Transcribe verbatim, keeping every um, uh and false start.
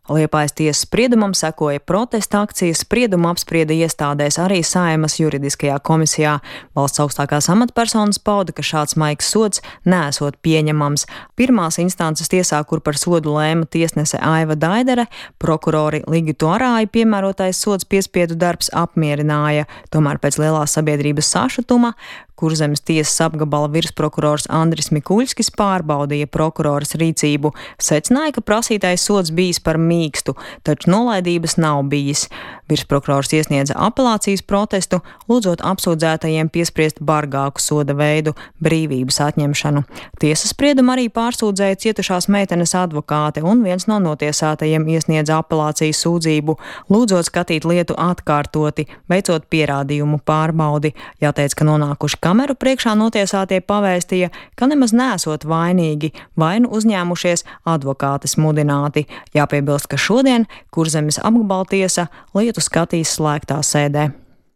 Liepājas tiesas spriedumam sekoja protesta akcijas, spriedumu apsprieda iestādēs arī Saeimas juridiskajā komisijā. Valsts augstākās amatpersonas pauda, ka šāds maigs sods neesot pieņemams. Pirmās instances tiesā, kur par sodu lēma tiesnese Aiva Daidere, prokurori Ligitu Arāju piemērotais sods piespiedu darbs apmierināja. Tomēr pēc lielās sabiedrības sašutuma Kurzemes tiesas apgabala virsprokurors Andris Mikuļskis pārbaudīja prokuroras rīcību, secināja, ka prasītais sods bijis par mīkstu, taču nolaidības nav bijis. Virsprokurors iesniedza apelācijas protestu, lūdzot apsūdzētajiem piespriest bargāku soda veidu - brīvības atņemšanu. Tiesas spriedumu arī pārsūdzēja cietušās meitenes advokāte, un viens no notiesātajiem iesniedza apelācijas sūdzību, lūdzot skatīt lietu atkārtoti, veicot pierādījumu pārbaudi. Jāteic, ka nonākuši kameru priekšā notiesātie pavēstīja, ka nemaz nesot vainīgi, vainu uzņēmušies advokātes mudināti. Jāpiebilst, ka šodien Kurzemes apgabaltiesa lietu skatīs slēgtā sēdē.